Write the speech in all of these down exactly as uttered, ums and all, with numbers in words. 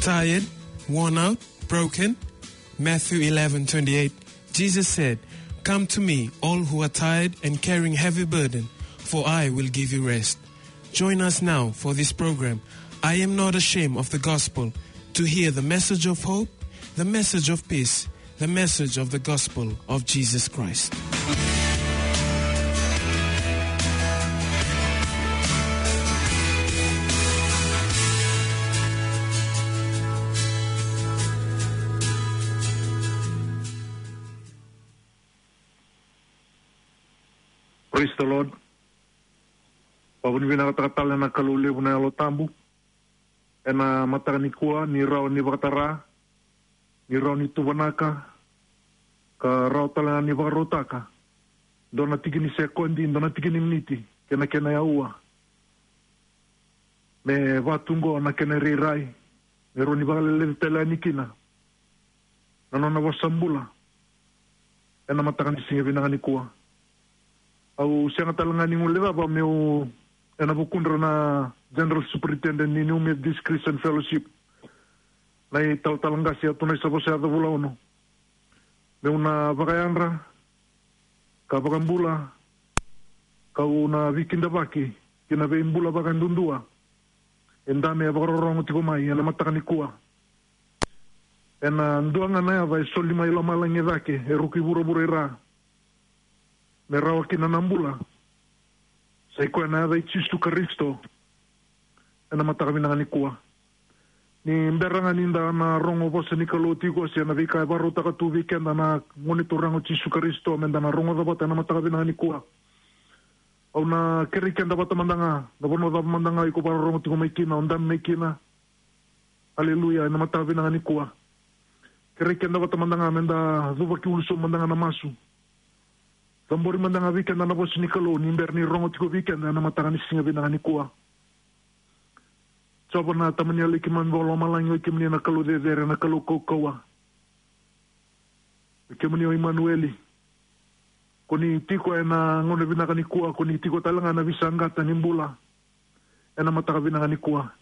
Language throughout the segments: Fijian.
Tired, worn out, broken? Matthew eleven twenty-eight, Jesus said, "Come to me, all who are tired and carrying heavy burden, for I will give you rest." Join us now for this program, I Am Not Ashamed of the Gospel, to hear the message of hope, the message of peace, the message of the gospel of Jesus Christ. Praise the Lord. Vakavinavinakataka tale na Kalou levu na Yalo Tabu ena mataka nikua, ni rawa ni vakatara, ni rawa ni tuvanaka, ka rawa tale ga ni vakarautaka dua na tiki ni sekodi, dua na tiki ni miniti, kei na kena aua, me vaka tu qo na kena irairai, me rawa ni vakaleleci tale yani kina na nona vosa bula ena mataka ni siga vinaka nikua. Au sega tale ga ni guilecava meu, ena vukudra na General Superintendent ni New Methodist Christian Fellowship, na italatala qase Atunaisa Vosayaca Vulaono, meu na vakayadra ka vakabula, kau na veikidavaki ki na veibula vakayadudua e dabe e vakarorogo tiko mai ena mataka nikua. Ena dua ga na yaca e soli mai lomalagi e cake, e ruku i vuravura i ra, me rawa kina na bula, sa i koya na yaca i Jisu Karisito. Ena mataka vinaka nikua, ni bera ga ni da na rogo vosa ni Kalou tiko, se na veika e vakarautaka tu vei keda na Gone Turaga o Jisu Karisito, me da na rogoca vata ena mataka vinaka nikua. Au na kerei keda vata mada ga, na vanua cava mada ga iko vakarorogo tiko mai kina, o dabe mai kina. Aleluya, ena mataka vinaka nikua. Kerei keda vata mada ga me da cuva ki ulu sobu mada ga na masu. Cabori mada ga vei keda na vosa ni Kalou, ni bera ni rogo tiko vei keda ena mataka ni siga vinaka nikua. Jiova na Tama ni yalo i keimami vakalomalagi, o i kemuni na Kalou cecere, na Kalou kaukauwa. O i kemuni o Imanueli. Ko ni tiko ena gauna vinaka nikua, ko ni tiko tale ga na veisaqata ni bula ena mataka vinaka nikua.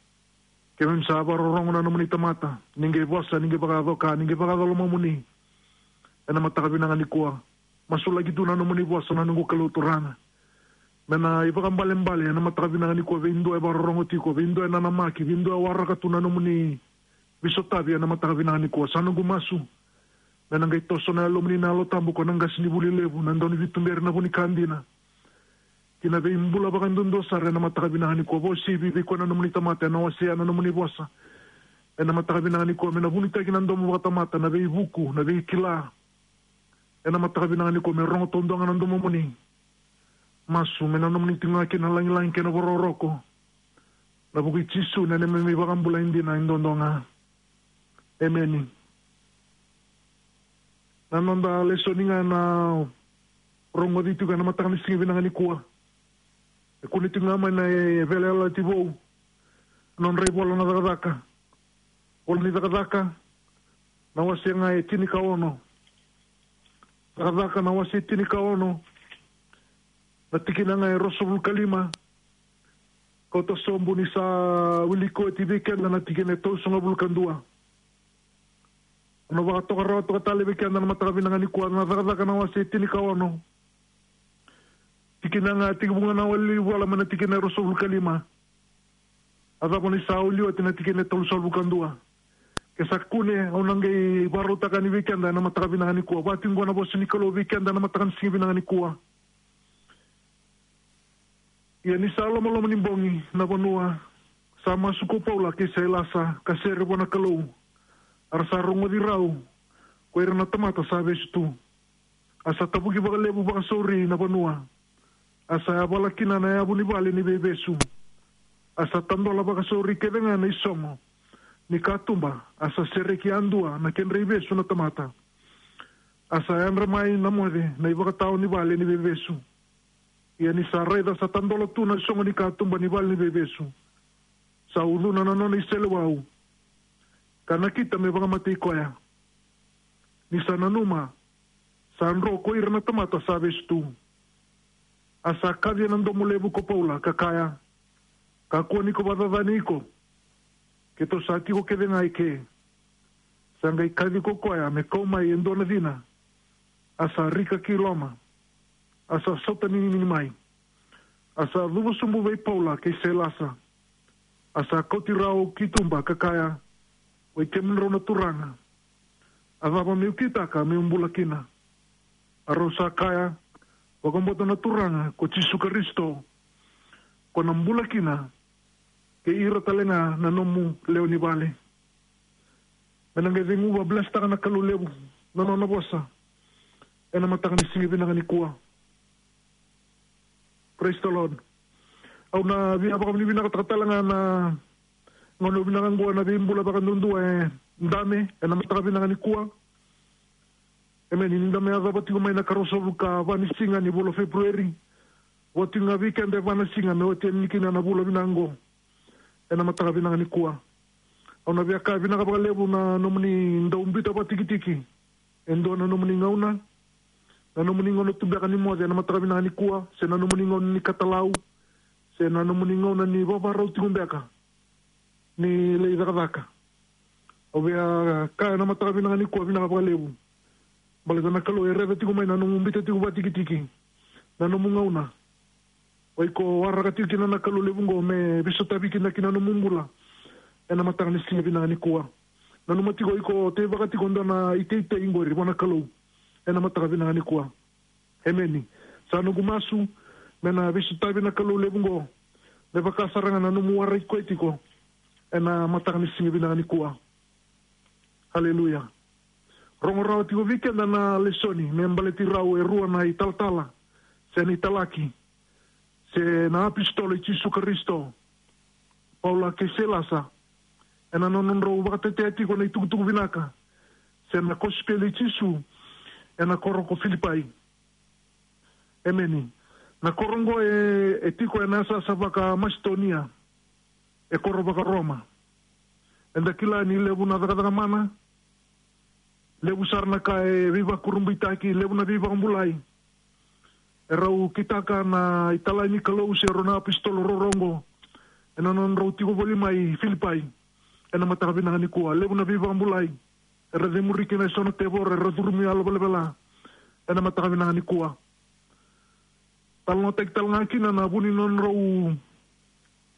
Keimami sa vakarorogo na nomuni tamata, ni qai vosa, ni qai vakayaco ka, ni qai vakayaco lomamuni ena mataka vinaka nikua. Masulaki tu na nomuni vosa, na noqu Kalou Turaga, me na ivakaibalebale ena mataka vinaka nikua vei dua e vakarorogo tiko, vei dua e nanamaki, vei dua e waraka tu na nomuni veisotavi ena mataka vinaka nikua. Sa noqu masu me na qai toso na Yalomuni na Yalo Tabu, ko na qasenivuli levu, na dauniveituberi, na vu ni ka dina, ki na veibula vakadudua sara ena mataka vinaka nikua. Vakauasivi vei koya na nomuni tamata ena wasea na nomuni vosa ena mataka vinaka nikua, me na vunitaki na domo vakatamata, na veivuku, na veikila ena mataka vinaka nikua, me rogo taudua ga na domomuni. Masu me na nomuni tiko ga kina na lagilagi kei na vakarokoroko, ena vuku i Jisu na neimami iVakabula e dina e dodonu ga. Emeni. Na noda lesoni ga ena rogoci tiko ena mataka ni siga vinaka nikua, e kune tiko ga mai na Veiyalayalati Vou, na nodra ivola na Cakacaka. Vola ni Cakacaka, na wase ga e tinikaono. Cakacaka na wase e tinikaono, na tikina ga e ruasagavulu ka lima, kauta sobu ni sa wiliki oti vei keda na tikina e tolusagavulu ka dua. Au na vakatoka rawa toka tale vei keda na mataka vinaka nikua, na Cakacaka na wase e tinikaono, tikina ga, tekivu ga na wali vola mai na tikina e ruasagavulu ka lima. A cava ni sa wili oti na tikina e tolusagavulu ka dua? Ke sa kune, au na qai vakarautaka yani vei keda ena mataka vinaka nikua. Vaka tiko qo na vosa ni Kalou vei keda ena mataka ni siga vinaka nikua. Ia ni sa lomaloma ni bogi na vanua, sa masu ko Paula kei Sailasa ka sere vua na Kalou, a ra sa rogoci rau ko ira na tamata sa vesu tu. A sa tavuki vakalevu vakasauri na vanua. A sa yavala kina na yavu ni vale ni veivesu. A sa tadola vakasauri kece ga na isogo ni katuba. A sa sereki yadua na kedra ivesu na tamata. A sa yadra mai na moce na ivakatawa ni vale ni veivesu. Ia ni sa raica sa tadola tu na sogo ni katuba ni vale ni veivesu, sa ucuna na nona iseleiwau, ka nakita me vakamatei koya. Ni sa nanuma, sa dro ko ira na tamata sa vesu tu. A sa kaci ena domo levu ko Paula, ka kaya, "Kakua ni ko vakacacani iko, Keitou sa tiko kece ga eke. Sa qai kaci ko koya me kau mai e dua na cina. A sa rika ki loma. A sa sautaninini mai. A sa cuva sobu vei Paula kei Sailasa. A sa kauti rau ki tuba ka kaya, oi kemudrau na turaga, a cava meu kitaka meu bula kina? A rau sa kaya, vakabauta na Turaga ko Jisu Karisito, ko na bula kina, kei ira tale ga na nomu lewe ni vale. Me na qai ceguva blesitaka na Kalou levu na nona vosa ena mataka ni siga vinaka nikua. Praise the Lord. Au na via vakavinavinakataka tale ga na gauna vinaka oqo na veibula vakaduadua e dame ena mataka vinaka nikua. Emeni. Ni da me yacova tiko mai na karua sagavulu ka va ni siga ni vula o February. Oti ga vei keda e va na siga me oti yani kina na vula vinaka oqo ena mataka vinaka nikua. Au na via kaya vinaka vakalevu na nomuni dau biuta vakatikitiki e dua na nomuni gauna, na nomuni gauna tu beka ni moce ena mataka vinaka nikua, se na nomuni gauna ni katalau, se na nomuni gauna ni vavarau tiko beka ni lai cakacaka. Au via kaya na mataka vinaka nikua, vinaka vakalevu. Baleta na Kalou e raica tiko mai na nomu biuta tiko vakatikitiki, na nomu gauna. O iko waraka tiko kina na Kalou levu oqo me veisotavi kina ki na nomu bula ena mataka ni siga vinaka nikua. Nanuma tiko o iko teivaka tiko dua na iteitei oqori vua na Kalou ena mataka vinaka nikua. Emeni. Sa noqu masu me na veisotavi na Kalou levu oqo, me vaka sara ga na nomu waraki koya tiko ena mataka ni siga vinaka nikua. Haleluya. Rogo rawa tiko vei keda na lesoni me baleti rau e rua na italatala, se na italaki, se na apositolo i Jisu Karisito, Paula kei Sailasa, ena nodrau vakatetea tiko na itukutuku vinaka se na kosipeli i Jisu ena koro ko Filipai. Emeni. Na koro oqo e, e tiko ena yasayasa vaka-Masitonia, e koro vaka-Roma. Eda kila ni levu na cakacaka mana, levu sara na ka e veivakurabuitaki, levu na veivakabulai e rau kitaka na italai ni Kalou se rau na apositolo ruarua oqo ena nodrau tiko voli mai Filipai ena mataka vinaka nikua. Levu na veivakabulai era cemuri kina e so na tevoro, era curumi yalo velavela ena mataka vinaka nikua. Talanoataki tale ga kina na vu ni nodrau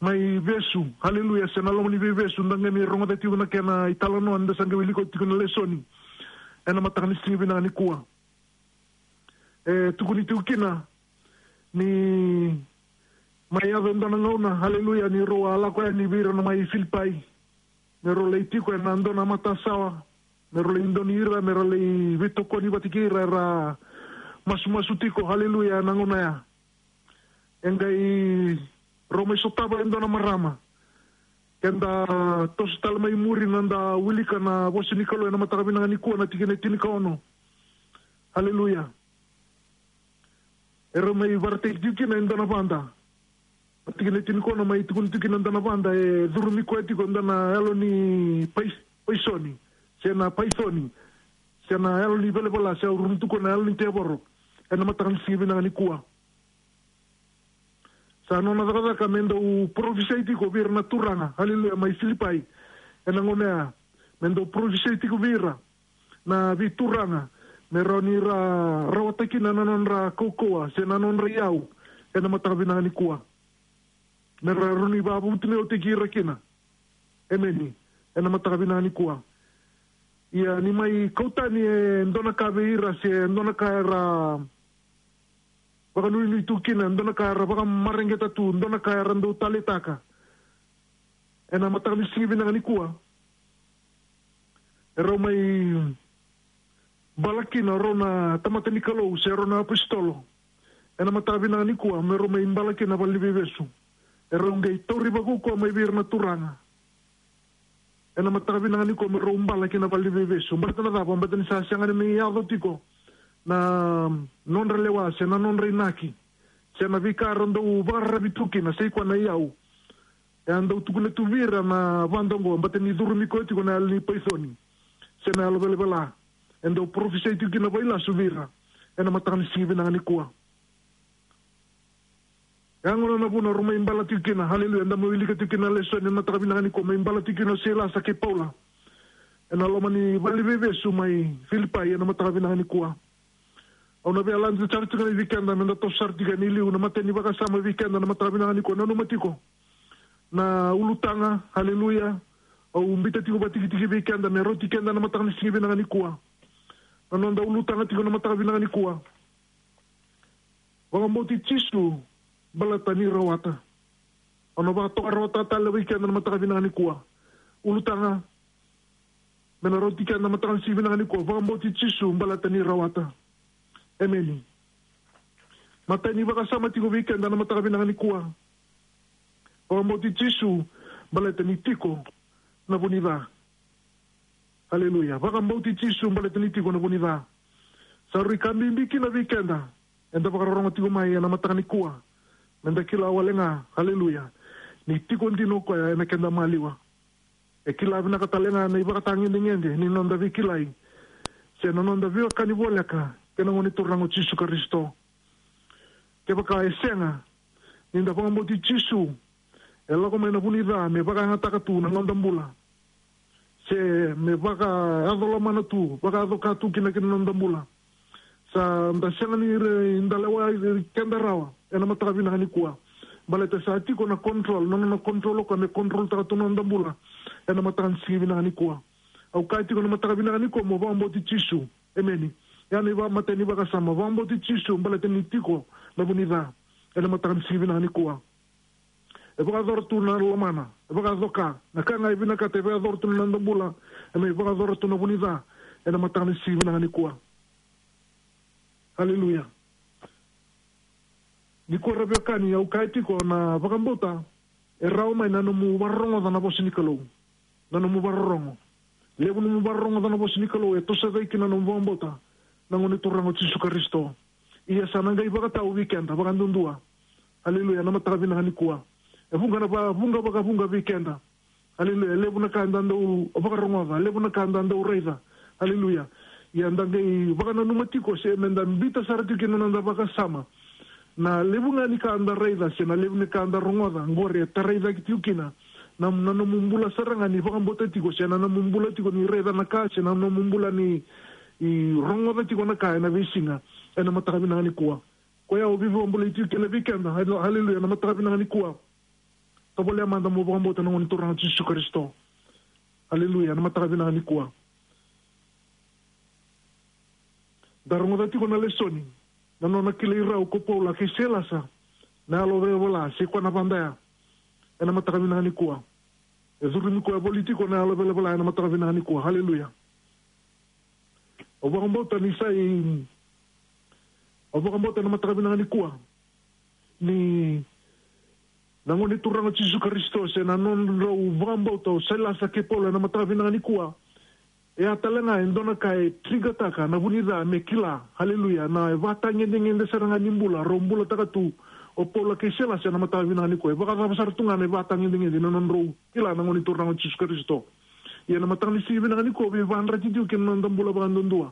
mai vesu, haleluya, se na loma ni veivesu, da qai mai rogoca tiko na kena italanoa ni da sa qai wilika tiko na lesoni ena mataka ni siga vinaka nikua. E tukuni tiko kina ni mai yaco e dua na gauna, haleluya, ni rau a lako yani vei ira na mai Filipai, me rau lai tiko ena dua na matasawa, me rau lai doni ira, me rau lai veitokoni vata kei ira era masumasu tiko, haleluya, ena gauna ya. E qai rau mai sotava e dua na marama. Keda toso tale mai muri na da wilika na vosa ni Kalou ena mataka vinaka nikua, na tikina e tinikaono. Haleluya. E rau mai vakaraitaki tiko kina e dua na vada. Na tikina e tinikaono mai tukuni tiko kina e dua na vada e curumi koya tiko e dua na yalo ni pais-, paisoni, se na paisoni, se na yalo ni velavela, se au ruru tu koya na yalo ni tevoro ena mataka ni siga vinaka nikua. Sa nona cakacaka me dau parofisai tiko vei ira na turaga, haleluya, mai Filipai. Ena gauna ya, me dau parofisai tiko vei ira na veituraga, me rawa ni ra rawata kina na nodra kaukauwa se na nodra iyau ena mataka vinaka nikua. Me ra rawa ni vakavutuniyautaki ira kina. Emeni. Ena mataka vinaka nikua. Ia ni mai kau tani e dua na ka vei ira se dua na ka era vakanuinui tu kina, e dua na ka era vakamareqeta tu, e dua na ka era dau taleitaka. Ena mataka ni siga vinaka nikua, e rau mai bala kina o rau na tamata ni Kalou se rau na apositolo. Ena mataka vinaka nikua me rau mai bala kina valeniveivesu. E rau qai tauri vakaukauwa mai vei ira na turaga. Ena mataka vinaka nikua me rau bala kina valeniveivesu. Baleta na cava? Baleta ni sa sega ni mai yaco tiko na nodra lewa se na nodra inaki se na veika era dau vakararavi tu kina, se i koya na iyau. E a dau tukuna tu vei ira na vada oqo, baleta ni curumi koya tiko na yalo ni paisoni se na yalo velavela. E dau parofisai tiko kina vakailasu vei ira ena mataka ni siga vinaka nikua. E a gona na vuna rau mai bala tiko kina. Haleluya. Eda mai wilika tiko kina na lesoni ena mataka vinaka nikua, mai bala tiko kina o Sailasa kei Paula ena loma ni vale ni veivesu mai Filipai ena mataka vinaka nikua. Au na via lade sara tiko ga vei keda meda toso sara tiko yani i liu na imatai ni vakasama vei keda na mataka vinaka nikua. Nanuma tiko na ulutaga, haleluya. Au biuta tiko vakatikitiki vei keda me rauti keda na mataka ni siga vinaka nikua. Na noda ulutaga tiko na mataka vinaka nikua: Vakabauti Jisu baleta ni rawata. Au na vakatoka rawa tale vei keda na mataka vinaka nikua. Ulutaga me na rauti keda na mataka ni siga vinaka nikua: Vakabauti Jisu baleta ni rawata. Emeni. Matai ni vakasama tiko vei keda na mataka vinaka nikua: Vakabauti Jisu baleta ni tiko na vu ni ca. Haleluya. Vakabauti Jisu baleta ni tiko na vu ni ca. Sa rui ka bibi kina vei keda eda vakarorogo tiko mai ena mataka nikua, meda kila wale ga, haleluya, ni tiko dina o koya ena keda maliwa. E kila vinaka tale ga na ivakatagedegede ni noda veikilai se na noda veiwekani voleka kei na Gone Turaga o Jisu Karisito. Kevaka e sega ni da vakabauti Jisu, e lako mai na vu ni ca me vakayagataka tu na noda bula, se me vakayaco lomana tu, vakayaco ka tu kina ki na noda bula. Sa da sega ni re-, da lewa keda rawa ena mataka vinaka nikua. Baleta sa tiko na control, na nona control o koya me controltaka tu na noda bula ena mataka ni siga vinaka nikua. Au kaya tiko na mataka vinaka nikua mo vakabauti Jisu. Emeni. Ya na imatai ni vakasama: Vakabauti Jisu baleta ni tiko na vu ni ca ena mataka ni siga vinaka nikua. E vakayacora tu na lomana, e vakayaco ka, na ka ga e vinakata e vakayacora tu na noda bula, e mai vakayacora tu na vu ni ca ena mataka ni siga vinaka nikua. Haleluya. Nikua, ra veiwekani, au kaya tiko na vakabauta e rawa mai na nomu vakarorogoca na vosa ni Kalou. Na nomu vakarorogo. Levu nomu vakarorogoca na vosa ni Kalou e toso cake kina na nomu vakabauta na Gone Turaga o Jisu Karisito. Ia sa na qai vakatau vei keda vakaduadua, haleluya, na mataka vinaka nikua. E vuqa na va-, vuqa vakavuqa vei keda. Haleluya. Levu na ka eda dau vakarogoca, levu na ka eda dau raica. Haleluya. Ia da qai vakananuma tiko se meda biuta sara tiko kina na noda vakasama. Na levu ga ni ka da raica se na levu ni ka da rogoca qori e tarai cake tiko kina na, na nomu bula sara ga ni vakabauta tiko, se na nomu bula tiko ni raica na ka, se na nomu bula ni, i, rogoca tiko na ka ena veisiga, ena mataka vinaka nikua. Koya au veivakabulai tiko kina vei keda, haleluya, na mataka vinaka nikua. Tovolea mada mo vakabauta na Gone Turaga o Jisu Karisito. Haleluya, na mataka vinaka nikua. Da rogoca tiko na lesoni, na nona kilai rau ko Paula kei Sailasa na yalo velavela, se koya na vadaya, ena mataka vinaka nikua. E curumi koya voli tiko na yalo velavela ena mataka vinaka nikua. Haleluya. Au vakabauta ni sa i, au vakabauta na mataka vinaka nikua ni na Gone Turaga o Jisu Karisito, se na nodrau vakabauta o Sailasa kei Paula ena mataka vinaka nikua. E a tale ga e dua na ka e trigataka na vu ni ca me kila, haleluya, na e vakatagedegede sara ga ni bula rau bulataka tu o Paula kei Sailasa ena mataka vinaka nikua. E vakacava sara tu ga na e vakatagedegede na nodrau kila na Gone Turaga o Jisu Karisito. Ia na mataka ni siga vinaka nikua, veivakayadrati tiko kina na noda bula vakaduadua.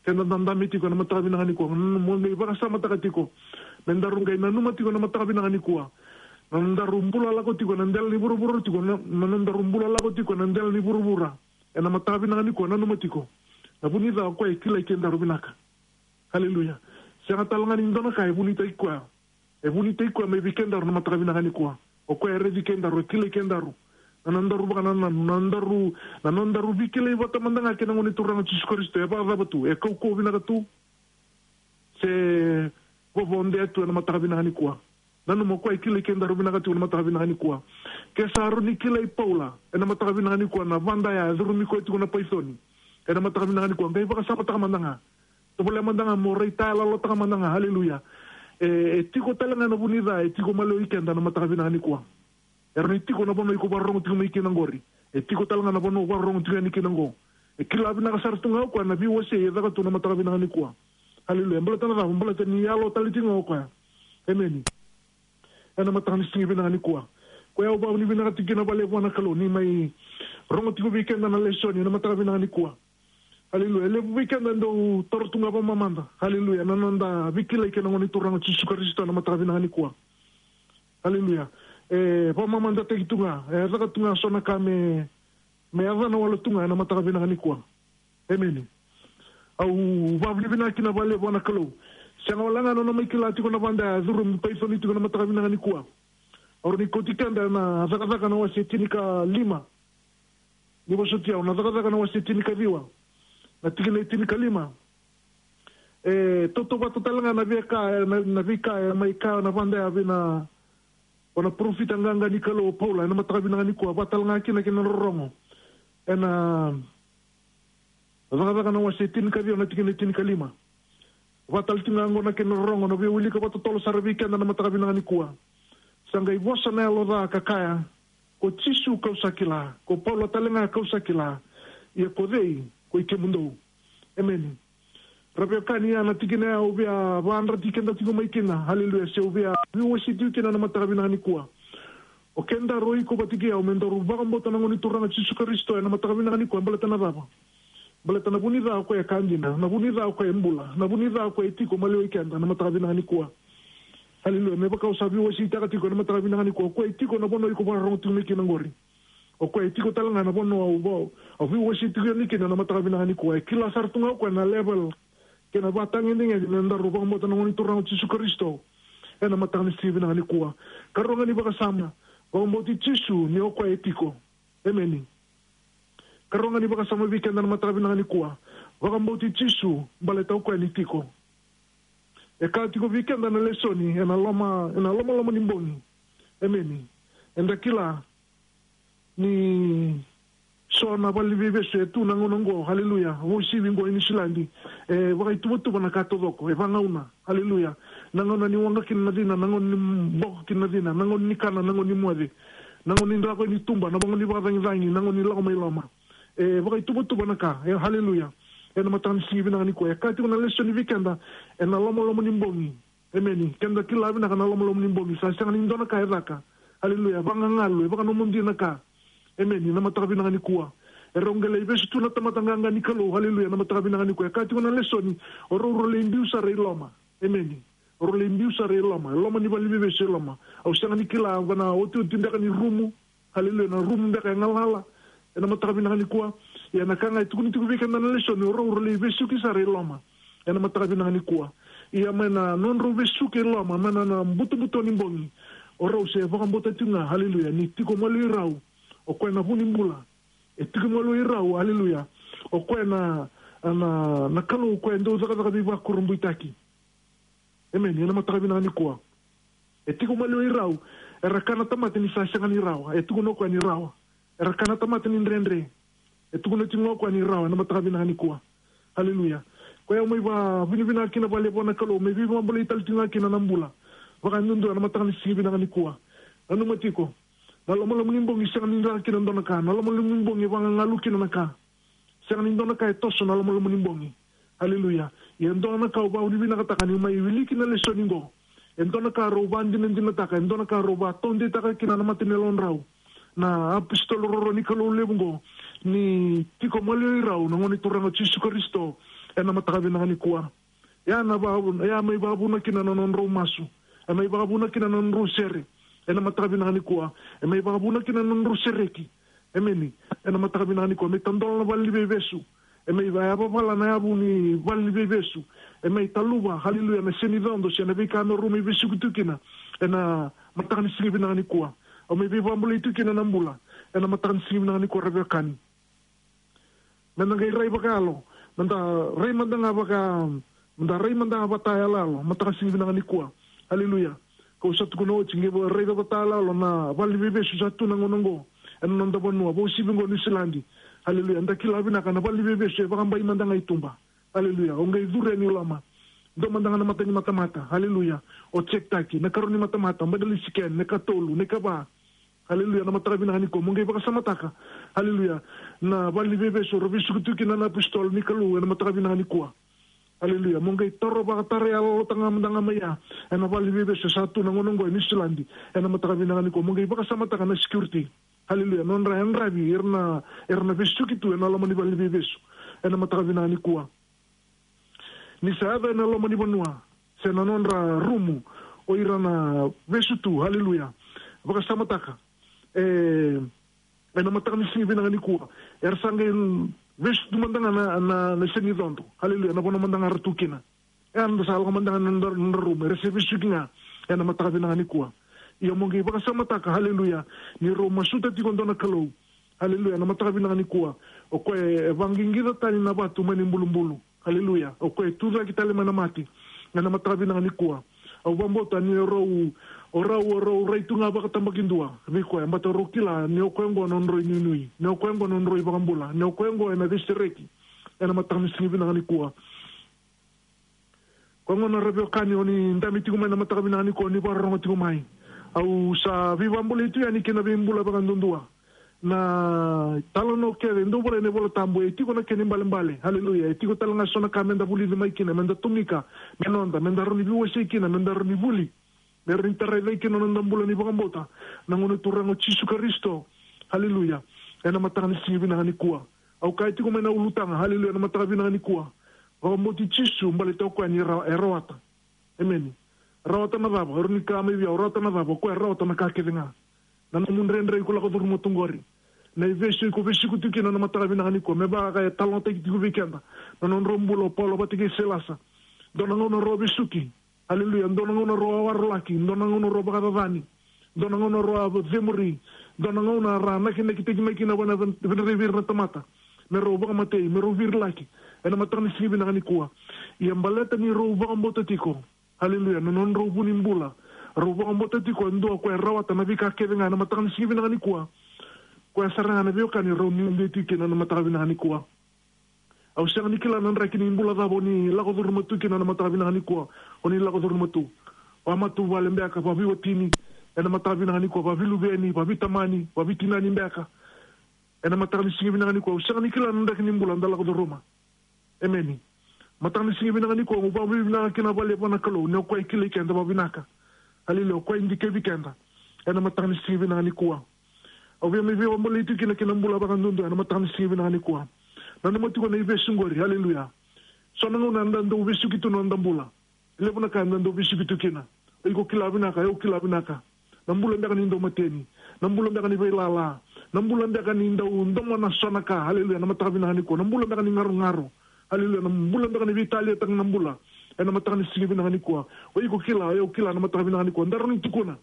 Keda dadabe tiko na mataka vinaka nikua, mo qai vakasamataka tiko, me daru qai nanuma tiko na mataka vinaka nikua. Na nodaru bula lako tiko na dela ni vuravura tiko, na, na nodaru bula lako tiko na dela ni vuravura ena mataka vinaka nikua, nanuma tiko, na vu ni ca o koya e kilai kedaru vinaka. Haleluya. Sega tale ga ni dua na ka e vunitaki koya. E vunitaki koya mai vei kedaru na mataka vinaka nikua. O koya e raici kedaru, e kilai kedaru. Na nodaru vakanananu, na nodaru, na nodaru veikilai vata mada ga kei na Gone Turaga o Jisu Karisito, e vakacava tu, e kaukauwa vinaka tu, se vovodea tu ena mataka vinaka nikua. Nanuma o koya e kilai kedaru vinaka tu ena mataka vinaka nikua. Ke sa rawa ni kilai Paula ena mataka vinaka nikua na vadaya e curumi koya tiko na paiconi ena mataka vinaka nikua, qai vakasamataka mada ga. Tovolea mada ga mo raitayaloyalotaka mada ga, haleluya. E, e tiko tale ga na vu ni ca e tiko maliwai keda na mataka vinaka nikua. E rawa ni tiko na vanua iko vakarorogo tiko mai kina qori. E tiko tale ga na vanua o vakarorogo tiko yani kina qo. E kila vinaka sara tu ga o koya na veiwasei e caka tu na mataka vinaka nikua. Haleluya. Baleta na cava? Baleta ni yalo tale tiko ga o koya. Emeni. Ena mataka ni siga vinaka nikua, koya au vakavinavinaka tiko kina vakalevu vua na Kalou ni mai rogo tiko vei keda na lesoni ena mataka vinaka nikua. Haleluya. E levu vei keda dau toro tu ga vakamamada, haleluya, na noda veikilai kei na Gone Turaga o Jisu Karisito ena mataka vinaka nikua. Haleluya. E vakamamadataki tu ga, e caka tu ga so na ka me, me yacana wale tu ga ena mataka vinaka nikua. Emeni. Au vakavinavinaka kina vakalevu vua na Kalou. Sega wale ga na nona mai kila tiko na vada ya, curu me paiconi tiko na mataka vinaka nikua. Au rawa ni kauti keda ena Cakacaka na wase tinikalima. Ni vosoti au, na Cakacaka na wase tinikaciwa, na tikina e tinikalima. E tautauvata tale ga na veika, na, na veika e mai kaya na vada ya vei na, o na parofita qaqa ni Kalou o Paula ena mataka vinaka nikua, vaka tale ga kina kei na rorogo ena Cakacaka na wase tinikaciwa na tikina e tinikalima. Vaka tale tiko ga oqo na kena rorogo, na veiwilika vakatotolo sara vei keda na mataka vinaka nikua. Sa qai vosa na yalo ca ka kaya, ko Jisu kau sa kila, ko Paula tale ga kau sa kila, ia ko cei ko i kemudou? Emeni. Ra veiwekani, ya na tikina ya au via vakayadrati keda tiko mai kina. Haleluya. Se au via veiwasei tiko kina na mataka vinaka nikua. O kedaru, o iko vata kei au, me daru vakabauta na Gone Turaga o Jisu Karisito ena mataka vinaka nikua, baleta na cava? Baleta na vu ni ca o koya e ka dina, na vu ni ca o koya e bula, na vu ni ca o koya e tiko maliwai keda na mataka vinaka nikua. Haleluya. Me vaka au sa veiwaseitaka tiko ena mataka vinaka nikua, o koya e tiko na vanua iko vakarorogo tiko mai kina oqori. O koya e tiko tale ga na vanua au, au veiwasei tiko yani kina na mataka vinaka nikua. E kila sara tu ga o koya na level kei na vakatagedegede ni daru vakabauta na Gone Turaga o Jisu Karisito ena mataka ni siga vinaka nikua. Karua ga ni vakasama, vakabauti Jisu ni o koya e tiko. Emeni. Karua ga ni vakasama vei keda na mataka vinaka nikua, vakabauti Jisu baleta o koya ni tiko. E kaya tiko vei keda na lesoni ena loma, ena lomaloma ni bogi. Emeni. Eda kila ni so na valeniveivesu e tu na gauna oqo, haleluya, vakauasivi oqo e Niusiladi, e vakaituvatuva na ka taucoko, e vagauna, haleluya. Na gauna ni waqa kina na cina, na gauna ni boko kina na cina, na gauna ni kana, na gauna ni moce, na gauna ni drako ni tuba, na gauna ni vakacagicagi, na gauna ni lako mai loma. E vakaituvatuva na ka, e, haleluya. Ena mataka ni siga vinaka nikua, e kaya tiko na lesoni vei keda ena lomaloma ni bogi. Emeni. Keda kila vinaka na lomaloma ni bogi, sa sega ni dua na ka e caka. Haleluya. Vagagalu, e vakanomodi na ka. Emeni. Na mataka vinaka nikua, e rau qai lai vesu tu na tamata qaqa ni Kalou. Haleluya. Na mataka vinaka nikua, e kaya tiko na lesoni, o rau rau lai biu sara i loma. Emeni. O rau lai biu sara i loma, e loma ni valeniveivesu, e loma. Au sega ni kila va na otioti beka ni rumu. Haleluya. Na rumu beka e galala ena mataka vinaka nikua. Ia na ka ga e tukuni tiko vei keda na lesoni, o rau rau lai vesuki sara i loma ena mataka vinaka nikua. Ia mai na nodrau vesuki i loma, mai na, na butobuto ni bogi, o rau se vakabauta tiko ga, haleluya, ni tiko maliwai rau o koya na vu ni bula. E tiko maliwai rau, haleluya, o koya na, na, na Kalou o koya e dau cakacaka veivakurabuitaki. Emeni. Ena mataka vinaka nikua, e tiko maliwai rau. Era kaya na tamata ni sa sega ni rawa, e tukuna o koya ni rawa. Era kaya na tamata ni dredre, e tukuna tiko ga o koya ni rawa ena mataka vinaka nikua. Haleluya. Koya au mai vakavinavinaka kina vakalevu vua na Kalou, me veivakabulai tale tiko ga kina na bula vakayadudua ena mataka ni siga vinaka nikua. Nanuma tiko, na lomaloma ni bogi sega ni caka kina dua na ka. Na lomaloma ni bogi e vagagalu kina na ka. Sega ni dua na ka e toso na lomaloma ni bogi. Haleluya. Ia e dua na ka au vakavinavinakataka ni mai wiliki na lesoni qo, e dua na ka rau vakadinadinataka, e dua na ka rau vakataudeitaka kina na mata ni yalodrau na apositolo roro ni Kalou levu qo, ni tiko maliwai rau na Gone Turaga o Jisu Karisito ena mataka vinaka nikua. Ia na vakavuna, ia mai vakavuna kina na nodrau masu, e mai vakavuna kina na nodrau sere ena mataka vinaka nikua, e mai vakavuna kina na nodrau sereki. Emeni. Ena mataka vinaka nikua, me tadola na valeniveivesu. E mai va-, yavavala na yavu ni valeniveivesu. E mai taluva, haleluya, na seni codo se na veika me rau mai vesuki tu kina ena mataka ni siga vinaka nikua. Au mai veivakabulai tu kina na bula ena mataka ni siga vinaka nikua, ra veiwekani. Meda qai rai vakayalo, meda rai mada ga vaka, meda rai mada ga vakayaloyalo mataka ni siga vinaka nikua. Haleluya. Kau sa tukuna oti, qai raica vakayaloyalo na valeniveivesu sa tu na gauna oqo ena noda vanua, vakauasivi oqo Niusiladi. Haleluya. Da kila vinaka na valeniveivesu e vakabai mada ga i tuba. Haleluya. O qai curu yani i loma, dua mada ga na mata ni matamata. Haleluya. O check taki na karua ni matamata, baleti scan, na ikatolu, na ikava. Haleluya. Na mataka vinaka nikua, mo qai vakasamataka, haleluya, na valeniveivesu rau vesuki tu kina na apositolo ni Kalou ena mataka vinaka nikua. Haleluya. Mo qai taro vakatarayalotaka mada ga mai ya ena valeniveivesu sa tu na gauna oqo e Niusiladi ena mataka vinaka nikua. Mo qai vakasamataka na security, haleluya, nodra yadravi ira na, ira na vesuki tu ena loma ni valeniveivesu ena mataka vinaka nikua. Ni sa yaco ena loma ni vanua se na nodra rumu o ira na vesu tu, haleluya. Vakasamataka. E, ena mataka ni siga vinaka nikua. Era sa qai vesu tu mada ga na, na, na senicodo. Haleluya. Na vanua mada ga ra tu kina. E, eda sa lako mada ga na nodra, nodra rumu. Era se vesuki ga. Ena mataka vinaka nikua. Ia mo qai vakasamataka, haleluya. Ni rau masuta tiko dua na Kalou. Haleluya. Na mataka vinaka nikua. O koya e vaqiqica tani na vatu mai na ibulubulu. Haleluya. O koya e tucake tale mai na mate. Ena mataka vinaka nikua. Au vakabauta ni o rau, o rau, o rau rai tu ga vakatabakidua vei koya, baleta o rau kila ni o koya oqo na nodrau inuinui, ni o koya oqo na nodrau ivakabula, ni o koya oqo ena vesereki. Ena mataka ni siga vinaka nikua. Koya gona ra veiwekani, o ni dabe tiko mai na mataka vinaka nikua, o ni vakarorogo tiko mai. Au sa veivakabulai tu yani kina veibula vakaduadua. Na italanoa kece e dau volai ena iVola Tabu, e tiko na kena ibalebale. Haleluya. E tiko tale ga eso na ka meda vulica mai kina, meda tomika, me noda, meda rawa ni veiwasei kina, meda rawa ni vuli, me rawa ni tarai cake kina na noda bula ni vakabauta na Gone Turaga o Jisu Karisito. Haleluya. Ena mataka ni siga vinaka nikua. Au kaya tiko mai na ulutaga, haleluya, na mataka vinaka nikua. Vakabauti Jisu, baleta o koya ni ra-, e rawata. Emeni. Rawata na cava? O rawa ni kaya mai vei au, rawata na cava? O koya e rawata na ka kece ga. Na nomu dredre iko lako curuma tu qori. Na ivesu iko vesuki tu kina na mataka vinaka nikua. Me vaka e talanoataki tiko vei keda na nodrau bula o Paula vata kei Sailasa. Dua na gauna rau vesuki. Haleluya. Dua na gauna rau a warolaki. Dua na gauna rau vakacacani. Dua na gauna rau a cemuri. Dua na gauna ra nakinakitaki mai kina vana, vana, vei ira na tamata. Me rau vakamatei, me rau virilaki. Ena mataka ni siga vinaka nikua. Ia baleta ni rau vakabauta tiko. Haleluya. Na nodrau vu ni bula. Rau vakabauta tiko e dua o koya e rawata na veika kece ga ena mataka ni siga vinaka nikua. Koya sara ga na veiwekani rau nuidei tu kina na mataka vinaka nikua. Au sega ni kila na draki ni bula cava o ni lako curuma tu kina na mataka vinaka nikua. O ni lako curuma tu. Vamatavuvale beka, vaveiwatini. Ena mataka vinaka nikua, vaveiluveni, vaveitamani, vaveitinani beka. Ena mataka ni siga vinaka nikua. Au sega ni kila na draki ni bula da lako curuma. Emeni. Mataka ni siga vinaka nikua, au vakavinavinaka kina vakalevu vua na Kalou, ni o koya e kilai keda vakavinaka. Haleluya, o koya e dikevi keda. Ena mataka ni siga vinaka nikua. Au via mai veivakabulai tu kina kei na bula vakaduadua, ena mataka ni siga vinaka nikua. Nanuma tiko na ivesu qori, haleluya. So na gauna eda dau vesuki tu na noda bula. Levu na ka eda dau vesuki tu kina. O iko kila vinaka, au kila vinaka. Na bula beka ni dau mateni. Na bula beka ni veilala. Na bula beka ni dau domona so na ka. Haleluya. Na mataka vinaka nikua. Na bula beka ni garogaro. Haleluya. Na bula beka ni veitaliataka na bula. Ena mataka ni siga vinaka nikua. O iko kila, au kila na mataka vinaka nikua. Da rawa ni tukuna.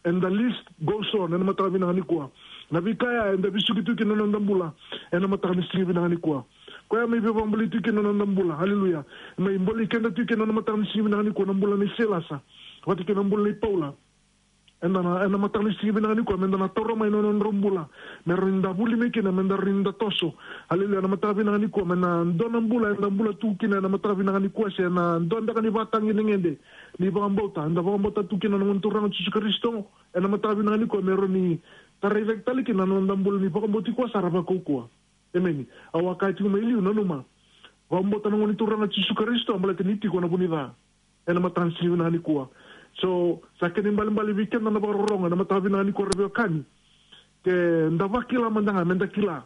And the list goes on. Ena mataka vinaka nikua. Na veika ya eda vesuki tu kina na noda bula. Ena mataka ni siga vinaka nikua. Koya mai veivakabulai tu kina na noda bula. Haleluya. Mai bolei keda tu kina na mataka ni siga vinaka nikua na bula nei Sailasa. Vata kei na bula nei Paula. Eda na, ena mataka ni siga vinaka nikua, meda na taura mai na nodrau bula. Me rawa ni da vuli mai kina, meda rawa ni da toso. Haleluya, na mataka vinaka nikua, me na dua na bula, eda bula tu kina, ena mataka vinaka nikua, se na dua beka ni vakatagedegede ni vakabauta, eda vakabauta tu kina na Gone Turaga o Jisu Karisito, ena mataka vinaka nikua, me rawa ni tarai cake tale kina na noda bula ni vakabauti koya sara vakaukauwa. Emeni. Au a kaya tiko mai liu, nanuma. Vakabauta na Gone Turaga o Jisu Karisito, baleta ni tiko na vu ni ca. Ena mataka ni siga vinaka nikua. So, sa kena ibalebale vei keda na vakarorogo, ena mataka vinaka nikua ra veiwekani. Ke da vakila mada ga, meda kila.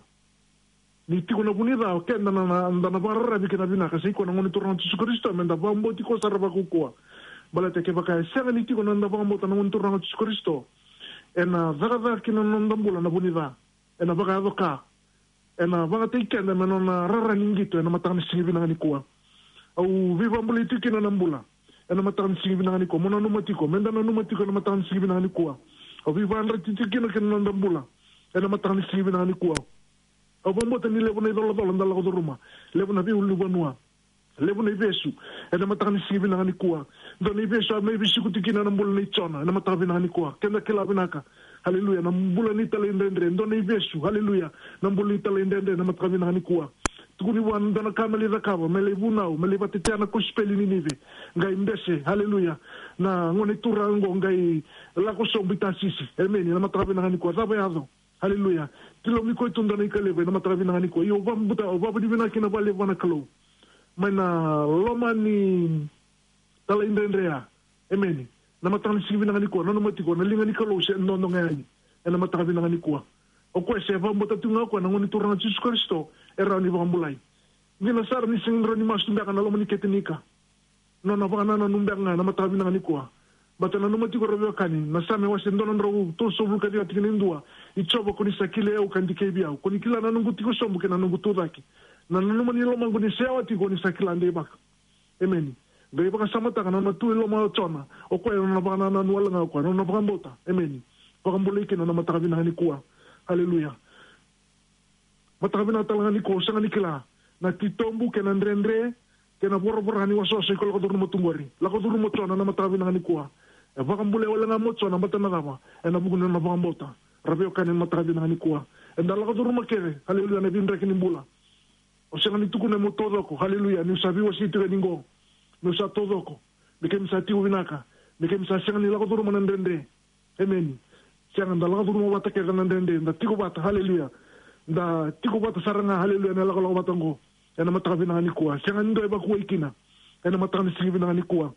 Ni tiko na vu ni ca, o keda na, na, da na vakararavi kina vinaka, sa i koya na Gone Turaga o Jisu Karisito, meda vakabauti koya sara vakaukauwa. Baleta kevaka e sega ni tiko na noda vakabauta na Gone Turaga o Jisu Karisito. Ena cakacaka kina na noda bula na vu ni ca. Ena vakayaco ka. Ena vakayagataki keda me nona rara ni qito ena mataka ni siga vinaka nikua. Au veivakabulai tiko kina na bula. Ena mataka ni siga vinaka nikua. Mo nanuma tiko. Meda nanuma tiko ena mataka ni siga vinaka nikua. Au veivakadreti tiko kina kei na noda bula. Ena mataka ni siga vinaka nikua. Au vakabauta ni levu na icolacola da lako curuma. Levu na veiulunivanua. Levu na ivesu. Ena mataka ni siga vinaka nikua. Dua na ivesu a mai vesuki tiko kina na bula nei Jona. Ena mataka vinaka nikua. Keda kila vinaka. Haleluya. Na bula ni talaidredre. Dua na ivesu. Haleluya. Na bula ni talaidredre. Ena mataka vinaka nikua. Tukuni vua na dua na ka me lai cakava. Me lai vunau. Me lai vakatetea na kosipeli ni Ninive. Qai bese. Haleluya. Na gone turaga qo qai lako sobu i Tasisi. Emeni. Ena mataka vinaka nikua. Cava e yaco? Haleluya. Tilomuni koya tu dua na ika levu ena mataka vinaka nikua. Io, au vakabauta, au vakavinavinaka kina vakalevu vua na Kalou. Mai na loma ni talaidredre ya. Emeni. Na mataka ni siga vinaka nikua. Nanuma tiko, na liga ni Kalou se dodo ga yani. Ena mataka vinaka nikua. O koya se vakabauta tiko ga o koya na Gone Turaga o Jisu Karisito. E rawa ni vakabulai. Dina sara ni sega ni rawa ni masu beka na loma ni kete ni ika. Nona vakanananu beka ga na mataka vinaka nikua. Baleta nanuma tiko, ra veiwekani, na Same wase dua na drau tolusagavulu ka ciwa, tikina e dua: I Jiova, ko ni sa kilai au ka dikevi au. Ko ni kila na noqu tiko sobu kei na noqu tucake. Na nanuma ni lomaqu ni sa yawa tiko, ni sa kila deivaki. Emeni. Qai vakasamataka na nona tu e loma o Jona, o koya na nona vakanananu wale ga o koya, na nona vakabauta. Emeni. Vakabulai kina na mataka vinaka nikua. Haleluya. Mataka vinaka tale ga nikua, au sega ni kila na titobu kei na dredre kei na voravora ni wasawasa iko lako curuma tu qori. Lako curuma o Jona na mataka vinaka nikua. E vakabulai wale ga mo Jona, baleta na cava? Ena vuku ni nona vakabauta. Ra veiwekani, na mataka vinaka nikua, eda lako curuma kece, haleluya, na veidraki ni bula. Au sega ni tukuna meu taucoko, haleluya, niu sa veiwasei tiko yani qo, meu sa taucoko, me keimami sa tiko vinaka, me keimami sa sega ni lako curuma na dredre. Emeni. Sega, da lako curuma vata kece na dredre, da tiko vata, haleluya. Da tiko vata sara ga, haleluya, na lakolako vata qo. Ena mataka vinaka nikua, sega ni dua e vakuwai kina. Ena mataka ni siga vinaka nikua.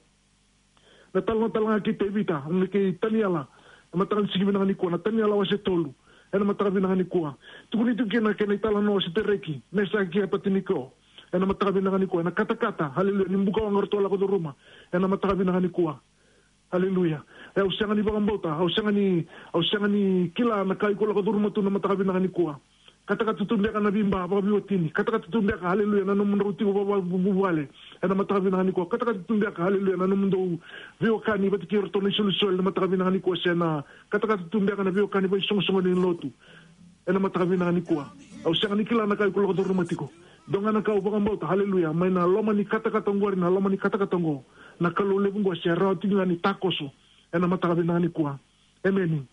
Na talanoa tale ga kei Tevita, na kei Taniela, ena mataka ni siga vinaka nikua, na Taniela wase tolu, ena mataka vinaka nikua. Tukuni tu kina kei na italanoa o Setereki, Mesaki kei Apatiniko, ena mataka vinaka nikua, ena katakata, haleluya, ni bukawaqa ratou a lako curuma, ena mataka vinaka nikua. Haleluya. E, au sega ni vakabauta, au sega ni, au sega ni kila na ka iko lako curuma tu na mataka vinaka nikua. Katakata tu beka na veiba vakaveiwatini. Katakata tu beka, haleluya, na nomudrau tiko vakavuvale ena mataka vinaka nikua. Katakata tu beka, haleluya, na nomudou veiwekani vata kei iratou na isolisoli ena mataka vinaka nikua, se na katakata tu beka na veiwekani vakaisoqosoqo ni lotu ena mataka vinaka nikua. Au sega ni kila na ka iko lako curuma tiko. Dua ga na ka au vakabauta, haleluya, mai na loma ni katakata oqori, na loma ni katakata oqo, na Kalou levu oqo se rawa tiko ga ni takoso ena mataka vinaka nikua. Emeni.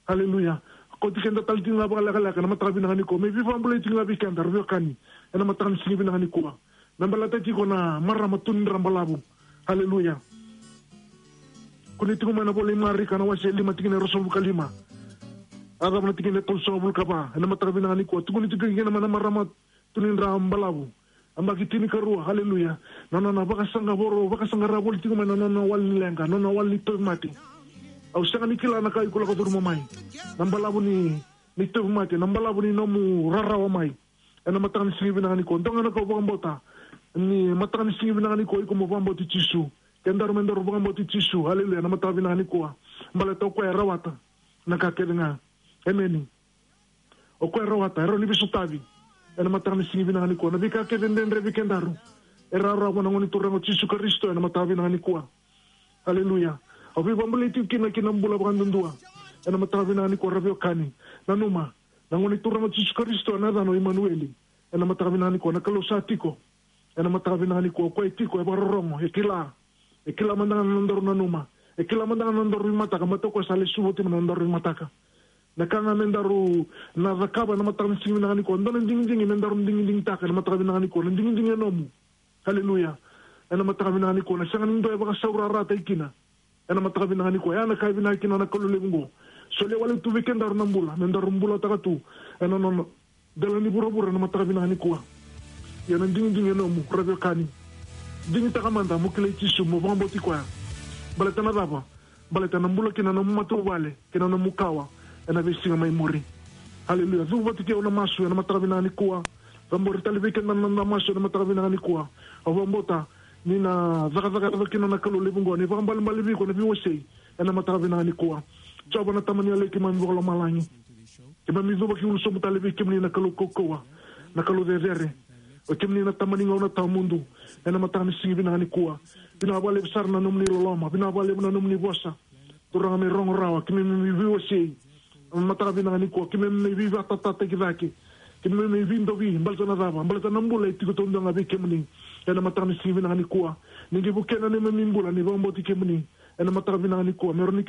Haleluya. Kauti keda tale tiko ga vakalekaleka ena mataka vinaka nikua, me veivakabulai tiko ga vei keda, ra veiwekani, ena mataka ni siga vinaka nikua. Me baleta tiko na marama tu ni dra balavu. Haleluya. Kune tiko mai na ivola i Marika na wase lima, tikina e ruasagavulu ka lima, a cava na tikina e tolusagavulu ka va, ena mataka vinaka nikua. Tukuni tiko kina mai na marama tu ni dra balavu, yabaki tinikarua, haleluya. Na nona vakasaqavoro, vakasaqara voli tiko mai na nona wali ni leqa, nona wali ni tauvimate. Au sega ni kila na ka iko lako curuma mai, na balavu ni, ni tauvimate, na balavu ni nomu rarawa mai. Ena mataka ni siga vinaka nikua, dua ga na ka au vakabauta, ni mataka ni siga vinaka nikua, iko mo vakabauti Jisu. Kedaru me daru vakabauti Jisu, haleluya, na mataka vinaka nikua. Baleta o koya e rawata na ka kece ga. Emeni. O koya e rawata, e rawa ni veisotavi ena mataka ni siga vinaka nikua na veika kece e dredre vei kedaru. E rawarawa na Gone Turaga o Jisu Karisito ena mataka vinaka nikua. Haleluya. Au veivakabulai tiko kina ki na bula vakadudua ena mataka vinaka nikua, ra veiwekani. Nanuma, na Gone Turaga o Jisu Karisito, na yacana o Imanueli. Ena mataka vinaka nikua, na Kalou sa tiko. Ena mataka vinaka nikua, o koya e tiko, e vakarorogo, e kila. E kila mada ga na nodaru nanuma. E kila mada ga na nodaru veimataka, baleta o koya sa lesu oti mai na nodaru veimataka. Na ka ga me daru na cakava ena mataka ni siga vinaka nikua, dua na digidigi me daru digidigitaka ena mataka vinaka nikua, na digidigi e nomu. Haleluya. Ena mataka vinaka nikua, na sega ni dua e vakasaurarataki kina. Ena mataka vinaka nikua, ya na ka e vinaka kina na Kalou levu oqo. Solia wale tu vei kedaru na bula me daru bulataka tu ena nona dela ni vuravura ena mataka vinaka nikua. Ia na digidigi e nomu, ra veiwekani. Digitaka mada mo kilai Jisu, mo vakabauti koya. Baleta na cava? Baleta na bula kina na nomu matavuvale kei na nomu kawa ena veisiga mai muri. Haleluya. Cuva vata kei au na masu ena mataka vinaka nikua. Cabori tale vei keda na noda masu ena mataka vinaka nikua. Au vakabauta ni na cakacaka yaco kina na Kalou levu oqo, ni vakaibalebale vei iko na veiwasei ena mataka vinaka nikua. Jiova na Tama ni yaloi keimami vakalomalagi, keimami cuva ki ulu sobu tale vei kemuni, na Kalou kaukauwa, na Kalou cecere. O kemuni na Tama ni gauna tawamudu. Ena mataka ni siga vinaka nikua, vinaka vakalevu sara na nomuni loloma, vinaka vakalevu na nomuni vosa. Turaga, me rogo rawa, keimami mai veiwasei ena mataka vinaka nikua, keimami mai veivakatataki cake, keimami mai veidovi. Baleta na cava? Baleta na bula e tiko taudua ga vei kemuni. Ena mataka ni siga vinaka nikua, ni qai vukea na neimami bula ni vakabauti kemuni. Ena mataka vinaka nikua, me rawa ni